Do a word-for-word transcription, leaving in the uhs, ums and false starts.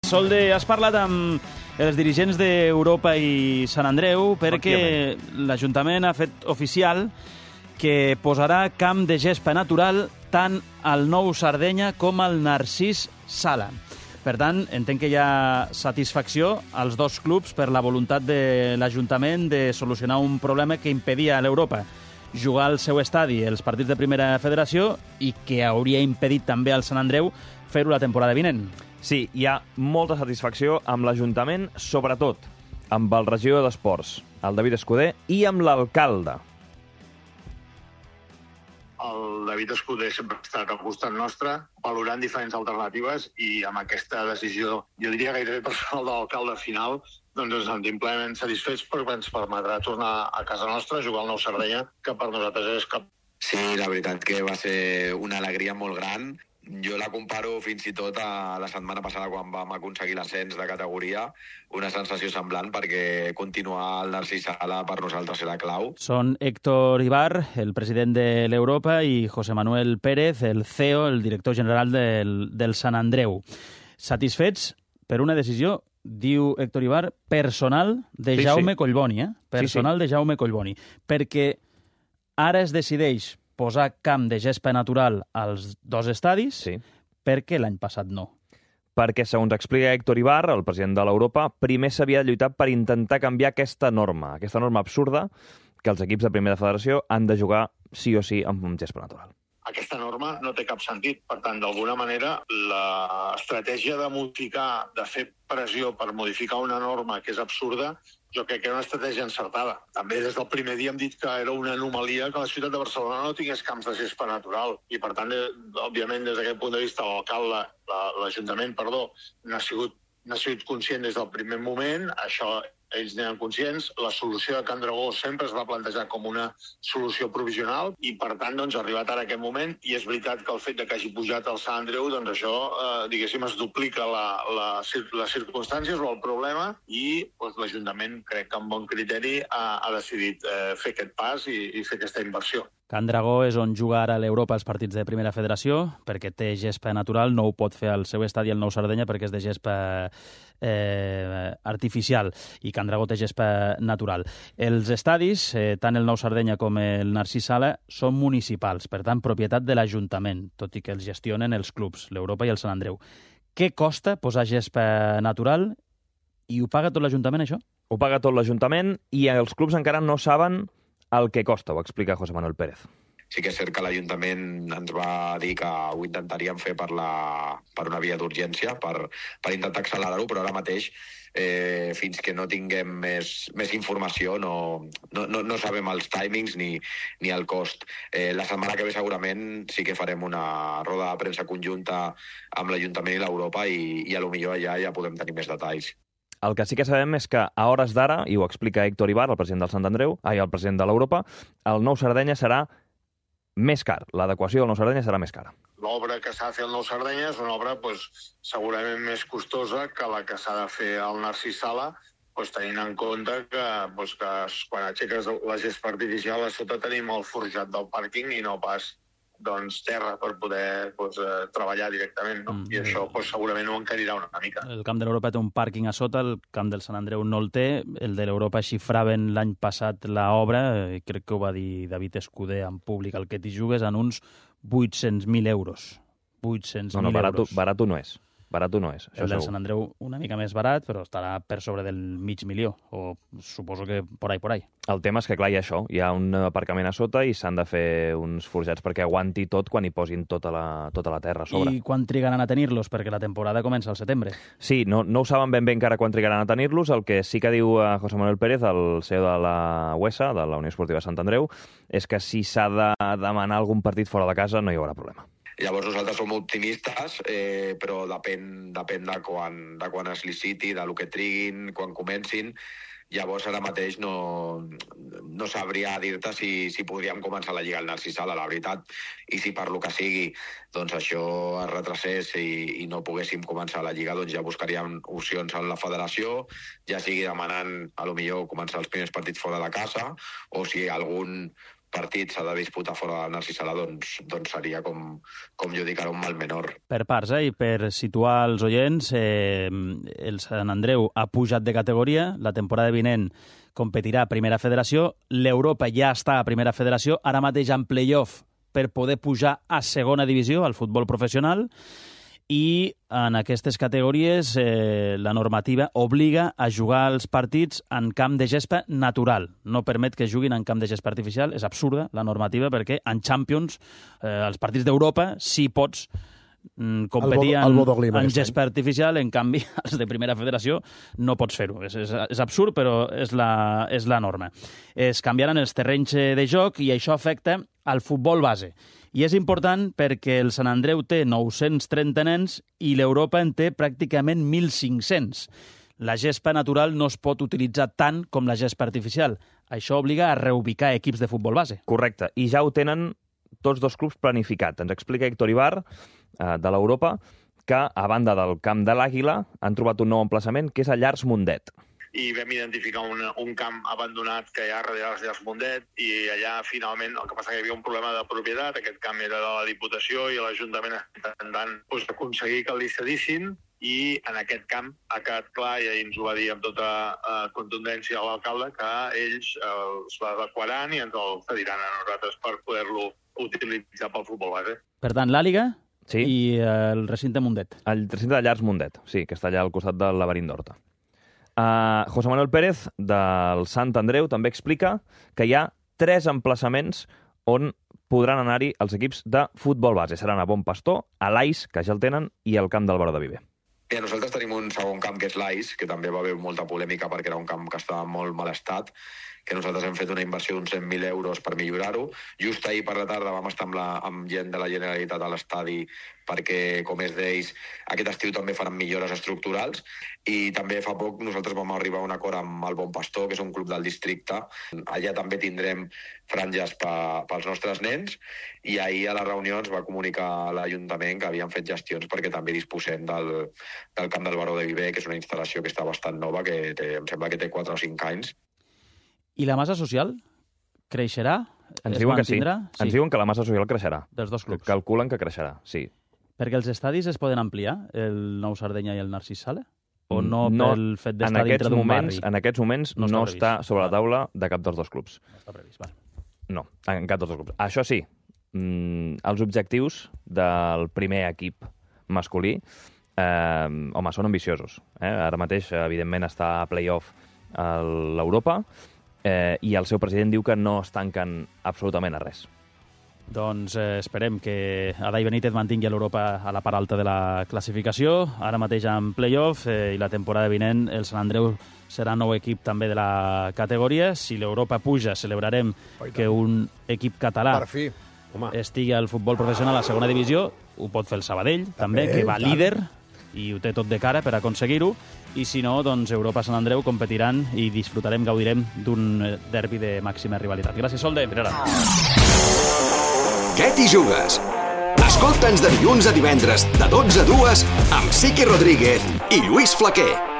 Solde, has parlat amb els dirigents d'Europa i Sant Andreu perquè l'Ajuntament ha fet oficial que posarà camp de gespa natural tant al Nou Sardenya com al Narcís Sala. Per tant, entenc que hi ha satisfacció als dos clubs per la voluntat de l'Ajuntament de solucionar un problema que impedia a l'Europa jugar al seu estadi els partits de Primera Federació i que hauria impedit també al Sant Andreu fer-ho la temporada vinent. Sí, hi ha molta satisfacció amb l'Ajuntament, sobretot amb el regidor d'Esports, el David Escudé, i amb l'alcalde. El David Escudé sempre ha estat al costat nostre, valorant diferents alternatives, i amb aquesta decisió, jo diria gairebé personal de l'alcalde final, doncs ens sentim plenament satisfets perquè ens permetrà tornar a casa nostra, jugar al Nou Sardenya, que per nosaltres és cap... Sí, la veritat que va ser una alegria molt gran. Jo la comparo fins i tot a la setmana passada quan vam aconseguir l'ascens de categoria, una sensació semblant perquè continuar al Narcís Sala per nosaltres era clau. Són Héctor Ibar, el president de l'Europa, i José Manuel Pérez, el C E O, el director general del, del Sant Andreu. Satisfets per una decisió, diu Héctor Ibar, personal de sí, Jaume sí. Collboni, eh? Personal sí, sí. de Jaume Collboni. Perquè ara es decideix posar camp de gespa natural als dos estadis, sí. Per què l'any passat no? Perquè, segons explica Héctor Ibar, el president de l'Europa, primer s'havia lluitat per intentar canviar aquesta norma, aquesta norma absurda que els equips de Primera Federació han de jugar sí o sí amb un gespa natural. Aquesta norma no té cap sentit. Per tant, d'alguna manera, l'estratègia de modificar, de fer pressió per modificar una norma que és absurda, jo crec que era una estratègia encertada. També des del primer dia hem dit que era una anomalia que la ciutat de Barcelona no tingués camps de gespa natural. I, per tant, òbviament, des d'aquest punt de vista, l'alcalde, l'Ajuntament, perdó, n'ha sigut, n'ha sigut conscient des del primer moment. Això ells n'eren conscients. La solució de Can Dragó sempre es va plantejar com una solució provisional i, per tant, doncs, ha arribat ara aquest moment. I és veritat que el fet de que hagi pujat al Sant Andreu, doncs això, eh, diguéssim, es duplica la, la, les circumstàncies o el problema i doncs, l'Ajuntament, crec que amb bon criteri, ha, ha decidit eh, fer aquest pas i, i fer aquesta inversió. Can Dragó és on juga ara l'Europa els partits de Primera Federació, perquè té gespa natural, no ho pot fer al seu estadi el Nou Sardenya perquè és de gespa eh, artificial, i Can Dragó té gespa natural. Els estadis, eh, tant el Nou Sardenya com el Narcís Sala, són municipals, per tant, propietat de l'Ajuntament, tot i que els gestionen els clubs, l'Europa i el Sant Andreu. Què costa posar gespa natural i ho paga tot l'Ajuntament, això? Ho paga tot l'Ajuntament i els clubs encara no saben el que costa, ho explica José Manuel Pérez. Sí que és cert que l'Ajuntament ens va dir que ho intentaríem fer per, la, per una via d'urgència, per, per intentar accelerar-ho, però ara mateix, eh, fins que no tinguem més, més informació, no, no, no, no sabem els timings ni, ni el cost. Eh, la setmana que ve segurament sí que farem una roda de premsa conjunta amb l'Ajuntament i l'Europa i, i a lo millor allà ja podem tenir més detalls. El que sí que sabem és que a hores d'ara, i ho explica Héctor Ibar, el president del Sant Andreu, ai, el president de l'Europa, el Nou Sardenya serà més car. L'adequació del Nou Sardenya serà més cara. L'obra que s'ha de fer al Nou Sardenya és una obra pues, segurament més costosa que la que s'ha de fer al Narcís Sala, pues, tenint en compte que, pues, que quan aixeques la gespa artificial a sota tenim el forjat del pàrquing i no pas doncs, terra per poder pues, eh, treballar directament, no? Mm. I això pues, segurament ho encarirà una mica. El camp de l'Europa té un pàrquing a sota, el camp del Sant Andreu no el té, el de l'Europa xifraven l'any passat l'obra, eh, crec que ho va dir David Escudé en públic, el que t'hi jugues en uns vuit-cents mil euros. vuit-cents mil no, no, barato, euros. Barato no és. Barato no és. El del Sant Andreu una mica més barat, però estarà per sobre del mig milió, o suposo que por ahí, por ahí. El tema és que, clar, hi ha això. Hi ha un aparcament a sota i s'han de fer uns forjats perquè aguanti tot quan hi posin tota la, tota la terra a sobre. I quan trigaran a tenir-los? Perquè la temporada comença al setembre. Sí, no, no ho saben ben bé encara quan trigaran a tenir-los. El que sí que diu José Manuel Pérez, el C E O de la U E S A, de la Unió Esportiva Sant Andreu, és que si s'ha de demanar algun partit fora de casa no hi haurà problema. Llavors nosaltres som optimistes, eh, però depèn, depèn de, quan, de quan es liciti, de lo que triguin, quan comencin. Llavors ara mateix no, no sabria dir-te si, si podríem començar la Lliga al Narcís Sala, la veritat. I si per lo que sigui doncs això es retracés i, i no poguéssim començar la Lliga, doncs ja buscaríem opcions en la federació, ja sigui demanant a lo millor començar els primers partits fora de casa, o si algun partit s'ha de disputar fora del Narcís Sala, doncs, doncs seria, com, com jo dic ara, un mal menor. Per parts, eh? I per situar els oients, eh, el Sant Andreu ha pujat de categoria, la temporada vinent competirà a Primera Federació, l'Europa ja està a Primera Federació, ara mateix en play-off per poder pujar a Segona Divisió, al futbol professional, i en aquestes categories eh, la normativa obliga a jugar els partits en camp de gespa natural. No permet que juguin en camp de gespa artificial. És absurda la normativa perquè en Champions, eh, els partits d'Europa, sí pots mm, competir el bo, el en, en gespa artificial, en canvi els de Primera Federació no pots fer-ho. És, és, és absurd, però és la, és la norma. Es canviaran els terrenys de joc i això afecta al futbol base. I és important perquè el Sant Andreu té nou-cents trenta nens i l'Europa en té pràcticament mil cinc-cents. La gespa natural no es pot utilitzar tant com la gespa artificial. Això obliga a reubicar equips de futbol base. Correcte. I ja ho tenen tots dos clubs planificat. Ens explica Héctor Ibar, eh, de l'Europa, que a banda del camp de l'Àguila han trobat un nou emplaçament, que és a Llars Mundet. I vam identificar un, un camp abandonat que hi ha darrere les Llars Mundet i allà finalment el que passa que hi havia un problema de propietat, aquest camp era de la Diputació i l'Ajuntament intentant doncs, aconseguir que li cedissin i en aquest camp ha quedat clar i ahir ens ho va dir amb tota uh, contundència l'alcalde que ells uh, els adequaran i ens el cediran a nosaltres per poder-lo utilitzar pel futbol base. Per tant, l'Àliga sí. i uh, el recinte Mundet. El recinte de Llars Mundet, sí, que està allà al costat del laberint d'Horta. Uh, José Manuel Pérez, del Sant Andreu, també explica que hi ha tres emplaçaments on podran anar-hi els equips de futbol base. Seran a Bon Pastor, a l'Ais, que ja el tenen, i al camp del Baró de Viver. I nosaltres tenim un segon camp, que és l'Ais, que també va haver molta polèmica perquè era un camp que estava en molt mal estat, que nosaltres hem fet una inversió d'uns cent mil euros per millorar-ho. Just ahir per la tarda vam estar amb, la, amb gent de la Generalitat a l'estadi perquè, com és d'ells, aquest estiu també faran millores estructurals i també fa poc nosaltres vam arribar a un acord amb el Bon Pastor, que és un club del districte. Allà també tindrem franges pa, pels nostres nens i ahir a la reunió ens va comunicar l'Ajuntament que havien fet gestions perquè també disposem del, del camp del Baró de Viver, que és una instal·lació que està bastant nova, que té, em sembla que té quatre o cinc anys. I la massa social creixerà? Ens diuen que sí. sí. Ens diuen que la massa social creixerà. Dels dos clubs. Calculen que creixerà, sí. Perquè els estadis es poden ampliar, el Nou Sardenya i el Narcís Sala? O no, no pel fet d'estar dintre d'un barri? En aquests moments no, no està, està sobre la taula de cap dels dos clubs. No està previst, val. No, en cap dels dos clubs. Això sí, mmm, els objectius del primer equip masculí eh, home, són ambiciosos. Eh? Ara mateix, evidentment, està a play-off a l'Europa, Eh, i el seu president diu que no es tanquen absolutament a res. Doncs eh, esperem que Adai Benítez mantingui l'Europa a la part alta de la classificació, ara mateix en play-off, eh, i la temporada vinent el Sant Andreu serà nou equip també de la categoria. Si l'Europa puja, celebrarem que un equip català per fi. Home. estigui al futbol professional a segona divisió. Ho pot fer el Sabadell, també, també que va tant. líder i ho té tot de cara per aconseguir-ho. I si no, doncs Europa Sant Andreu competiran i disfrutarem, gaudirem d'un derbi de màxima rivalitat. Gràcies, Solde. Per ara. Què t'hi jugues? Escolta'ns de dilluns a divendres, de dotze a dues, amb Siqui Rodríguez i Lluís Flaquer.